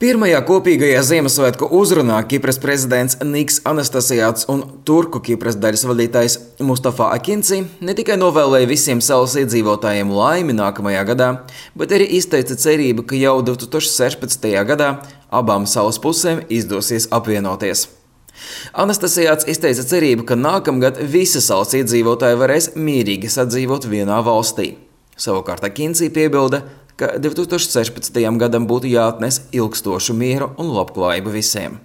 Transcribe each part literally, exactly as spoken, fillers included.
Pirmajā kopīgajā Ziemassvētku uzrunā Kipras prezidents Niks Anastasijāts un turku Kipras daļas vadītājs Mustafa Akinci ne tikai novēlēja visiem salas iedzīvotājiem laimi nākamajā gadā, bet arī izteica cerību, ka jau divi tūkstoši sešpadsmitajā gadā abām salas pusēm izdosies apvienoties. Anastasijāts izteica cerību, ka nākamgad visi salas iedzīvotāji varēs mierīgi sadzīvot vienā valstī. Savukārt Akinci piebilda, ka divi tūkstoši sešpadsmitajam gadam būtu jāatnes ilgstošu mieru un labklājību visiem.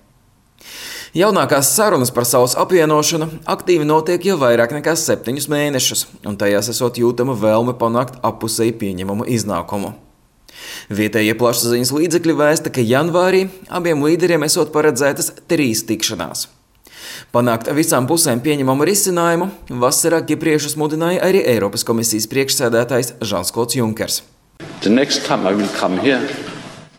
Jaunākās sarunas par salas apvienošanu aktīvi notiek jau vairāk nekā septiņus mēnešus, un tajās esot jūtama vēlme panākt appusēji pieņemamu iznākumu. Vietējie plašsaziņas līdzekļi vēsta, ka janvārī abiem līderiem esot paredzētas trīs tikšanās. Panākt visām pusēm pieņemamu risinājumu vasarā kipriešus mudināja arī Eiropas komisijas priekšsēdētājs Žans-Klods Junkers. The next time I will come here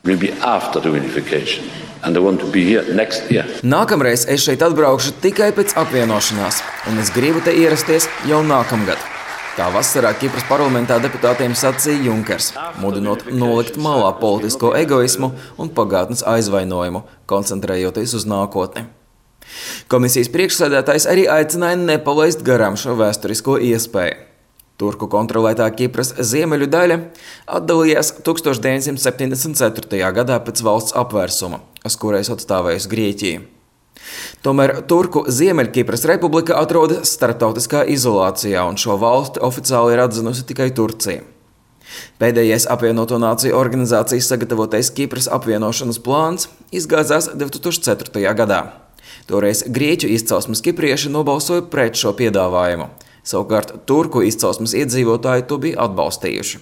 will be after the unification, and I want to be here next year. Nākamreiz es šeit atbraukšu tikai pēc apvienošanās, un es gribu te ierasties jau nākamgad. Tā vasarā Kipras parlamentā deputātiem sacīja Junkers, mudinot nolikt malā politisko egoismu un pagātnes aizvainojumu, koncentrējoties uz nākotni. Komisijas priekšsēdētājs arī aicināja nepalaist garām šo vēsturisko iespēju. Turku kontrolētā Kipras ziemeļu daļa atdalījās tūkstoš deviņsimt septiņdesmit ceturtajā gadā pēc valsts apvērsuma, uz kurais atstāvējusi Grieķija. Tomēr Turku Ziemeļkipras republika atrodas starptautiskā izolācijā, un šo valsti oficiāli ir atzinusi tikai Turcija. Pēdējais apvienoto nāciju organizācijas sagatavotais Kipras apvienošanas plāns izgāzās divi tūkstoši ceturtajā gadā. Toreiz grieķu izcelsmes kiprieši nobalsoja pret šo piedāvājumu. Savukārt turku izcelsmes iedzīvotāji to bija atbalstījuši.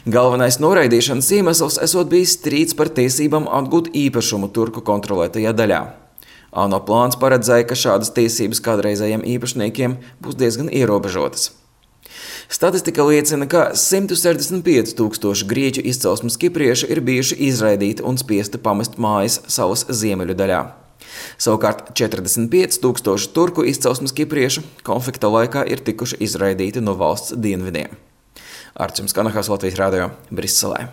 Galvenais noraidīšanas iemesls esot bijis strīds par tiesībām atgūt īpašumu turku kontrolētajā daļā. ANO plāns paredzēja, ka šādas tiesības kādreizējiem īpašniekiem būs diezgan ierobežotas. Statistika liecina, ka simt sešdesmit pieci tūkstoši grieķu izcelsmes kiprieši ir bijuši izraidīti un spiesti pamest mājas salas ziemeļu daļā. Savukārt četrdesmit pieci tūkstoši turku izcelsmes kipriešu konflikta laikā ir tikuši izraidīti no valsts dienvidiem. Arčuns Kanahas, Latvijas radio, Briselē.